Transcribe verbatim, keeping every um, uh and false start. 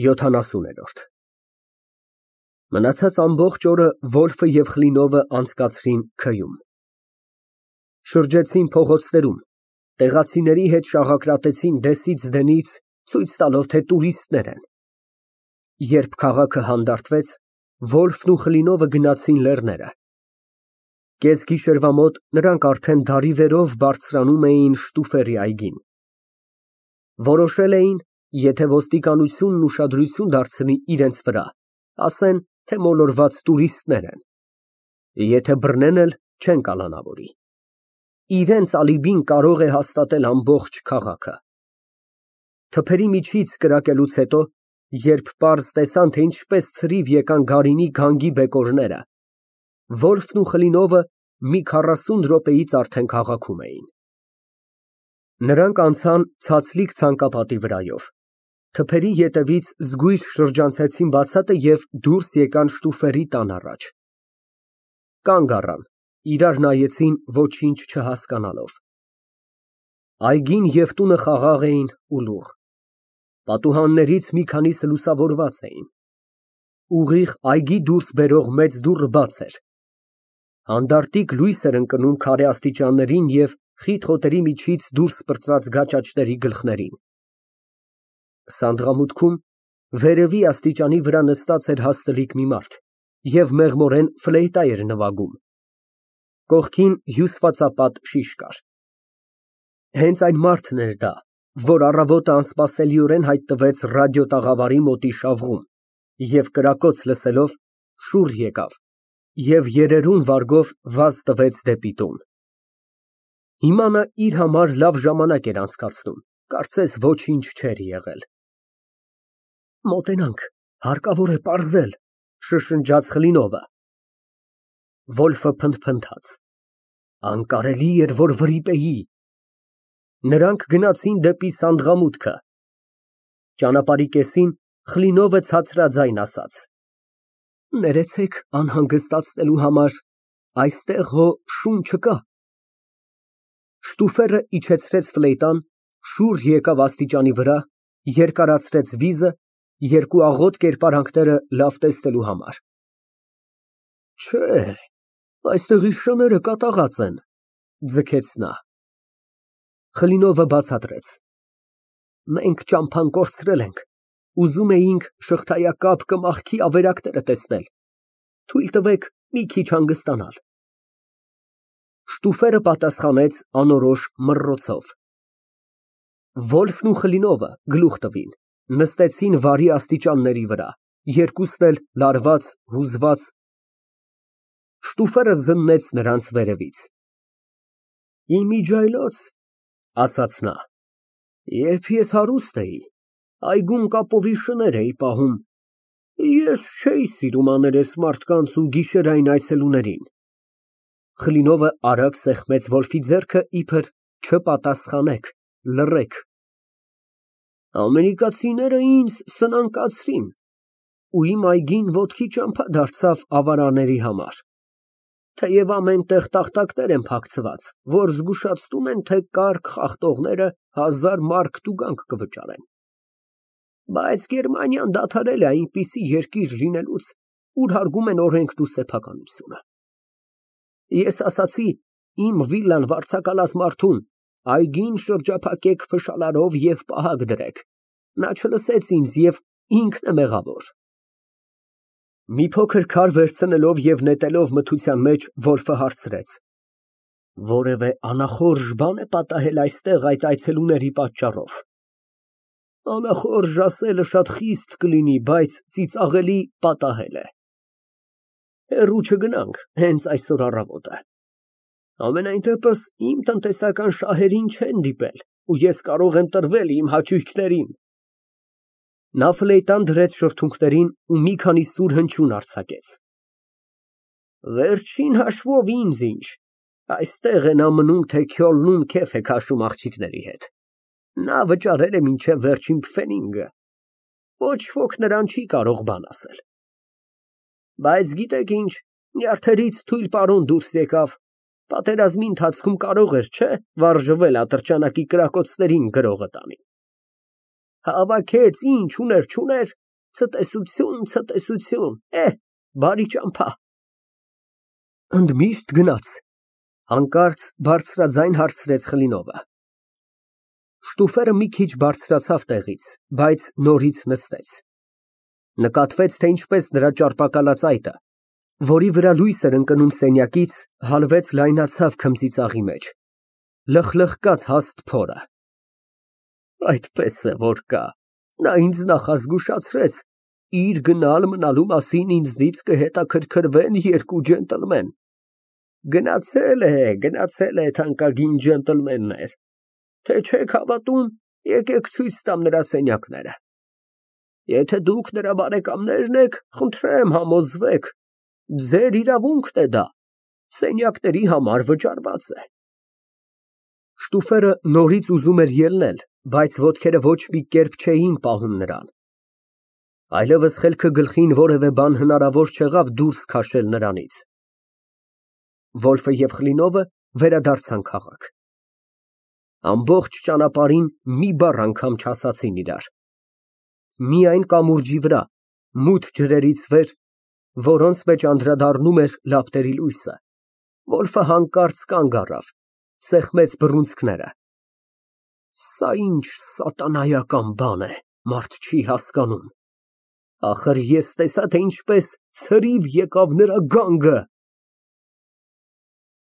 ՅՈԹԱՆԱՍՈՒՆԵՐՈՐԴ Մնացած ամբողջ օրը Ոլֆը և Կլինովը անցկացրին Ք֊ում, շրջեցին փողոցներում, տեղացիների հետ շաղակրատեցին դեսից դենից, ցույց տալով, թե տուրիստներ են։ Երբ քաղաքը հանդարտվեց, Ոլֆն ու Կլինովը գնացին լեռները։ Կեսգիշերվա մոտ նրանք արդեն դարիվերով բարձրանում էին Շտուֆերի այգին։ Որոշել էին, եթե ոստիկանությունն ուշադրություն դարձնի իրենց վրա, ասեն, թե մոլորված տուրիստներ են, եթե բռնեն էլ չեն կալանավորի։ Իրենց ալիբին կարող է հաստատել ամբողջ քաղաքը։ Թփերի միջից կրակելուց հետո, երբ պարզ տեսան, թե ինչպես ցրիվ եկան Գարինի գանգի բեկորները, Ոլֆն ու Կլինովը մի քառասուն րոպեից արդեն քաղաքում էին։ Նրանք անցան ցածլիկ ցանկապատի վրայով, թփերի ետևից զգույշ շրջանցեցին բացատը և դուրս եկան Շտուֆերի տան առաջ։ Կանգ առան, իրար նայեցին, ոչինչ չհասկանալով։ Այգին և տունը խաղաղ էին ու լուռ։ Պատուհաններից մի քանիսը լուսավորված էին։ Ուղիղ այգի դուրս բերող մեծ դուռը բաց էր։ Հանդարտիկ լույս էր ընկնում քարե աստիճաններին և խիտ խոտերի միջից դուրս պրծած գաճաճների գլխներին։ Սանդղամուտքում, վերևի աստիճանի վրա նստած էր հաստլիկ մի մարդ և մեղմորեն ֆլեյտա էր նվագում։ Կողքին հյուսվածապատ շիշ կար։ Հենց այն մարդն էր դա, որ առավոտը անսպասելիորեն հայտնվեց ռադիոտաղավարի մոտի շավղում և կրակոց լսելով, շուռ եկավ և երերուն վարգով վազ տվեց դեպի տուն։ Հիմա նա իր համար լավ ժամանակ էր անցկացնում, կարծես ոչինչ չէր եղել։ Մոտենանք, հարկավոր է պարզել, շշնջաց Կլինովը։ Ոլֆը փնթփնթաց։ Անկարելի էր, որ վրիպեի։ Նրանք գնացին դեպի սանդղամուտքը։ Ճանապարհի կեսին Կլինովը ցածրաձայն ասաց. Ներեցեք անհանգստացնելու համար, այստեղ հո շուն չկա։ Շտուֆերը իջեցրեց ֆլեյտան, շուռ եկավ աստիճանի վրա, երկարացրեց վիզը, երկու աղոտ կերպարանքները լավ տեսնելու համար։ Չէ, այստեղի շները կատաղած են, ձգեց նա։ Կլինովը բացատրեց. Մենք ճամփան կորցրել ենք, ուզում էինք շղթայակապ կմախքի ավերակները տեսնել, թույլ տվեք մի քիչ հանգստանալ։ Շտուֆերը պատասխանեց անորոշ մռռոցով։ Ոլֆն ու Կլինովը գլուխ տվին, նստեցին վարի աստիճանների վրա, երկուսն էլ լարված, հուզված։ Շտուֆերը զննեց նրանց վերևից։ Իմիջիայլոց, ասաց նա, երբ ես հարուստ էի, այգում կապովի շներ էի պահում, ես չէի սիրում աներես մարդկանց ու գիշերային այցելուներին։ Կլինովը արագ սեղմեց Ոլֆի ձեռքը, իբր չպատասխանեք, լռեք։ Ամերիկացիները ինձ սնանկացրին, ու իմ այգին ոտքի ճամփա դարձավ ավարաների համար, թեև ամեն տեղ տախտակներ են փակցված, որ զգուշացնում են, թե կառք խախտողները հազար մարկ տուգանք կվճարեն։ Բայց Գերմանիան դադարել է այնպիսի երկիր լինելուց, ուր հարգում են օրենքն ու սեփականությունը։ Ես ասացի իմ վիլան վարձակալած մարդուն, այգին շրջափակեք փշալարով և պահակ դրեք, նա չլսեց ինձ և ինքն է մեղավոր։ Մի փոքր քար վերցնելով և նետելով մթության մեջ, Ոլֆը հարցրեց. Որևէ անախորժ բան է պատահել այստեղ այդ այցելուների պատճառով։ Անախորժ ասելը շատ խիստ կլինի, բայց ծիծաղելի պատահել է։ Հեռու չգնանք, հենց այսօր առավոտ է։ Համենայն դեպս իմ տնտեսական շահերին չեն դիպել, ու ես կարող եմ տրվել իմ հաճույքներին։ Նա ֆլեյտան դրեց շրթունքներին ու մի քանի սուր հնչյուն արձակեց։ Վերջին հաշվով ինձ ինչ, այստեղ են ամնում, թե Քյոլնում քեֆ է քաշում աղջիկների հետ։ Նա վճարել է մինչև վերջին փֆենիգը, ոչ ոք նրան չի կարող բան ասել։ Բայց գիտեք ինչ, նյարդերից թույլ պարոն դուրս եկավ, պատերազմի ընթացքում կարող էր, չէ՞, վարժվել ատրճանակի կրակոցներին գրողը տանի։ Հավաքեց, ինչ ուներ չուներ, Ցտեսություն, ցտեսություն, էհ, բարի ճամփա։ Ընդմիշտ գնաց։ Հանկարծ բարձրաձայն հարցրեց Խլինովը։ Շտուֆերը մի քիչ բարձրացավ տեղից, բայց նորից նստեց։ Նկատվեց, թե ինչպես նրա ճարպակալած այտը, որի վրա լույս էր ընկնում սենյակից, հալվեց, լայնացավ քմծիծաղի մեջ, լխլխկաց հաստ փորը։ Այդպես է որ կա, նա ինձ նախազգուշացրեց, իր գնալ մնալու մասին ինձնից կհետաքրքրվեն երկու ջենտլմեն։ Գնացել է, գնացել է, թանկագին ջենտլմեններ, թե չեք հավատում, եկեք ցույց տամ նրա սենյակները։ Եթե դուք նրա բարեկամներն եք, խնդրեմ համոզվեք, ձեր իրավունքն է դա, սենյակների համար վճարված է։ Շտուֆերը նորից ուզում էր ելնել, բայց ոտքերը ոչ մի կերպ չէին պահում նրան։ Այլևս խելքը գլխին որևէ բան հնարավոր չեղավ դուրս քաշել նրանից։ Վոլֆը և Խլինովը վերադարձան քաղաք։ Ամբողջ ճանապարհին մի բառ անգամ չասացին իրար։ Միայն կամուրջի վրա, մութ ջրերից վեր, որոնց մեջ անդրադառնում էր լապտերի լույսը, Վոլֆը հանկարծ կանգ առավ, սեղմեց բռունցքները։ Սա ինչ սատանայական բան է, մարդ չի հասկանում։ Ախր ես տեսա, թե ինչպես ցրիվ եկավ նրա գանգը։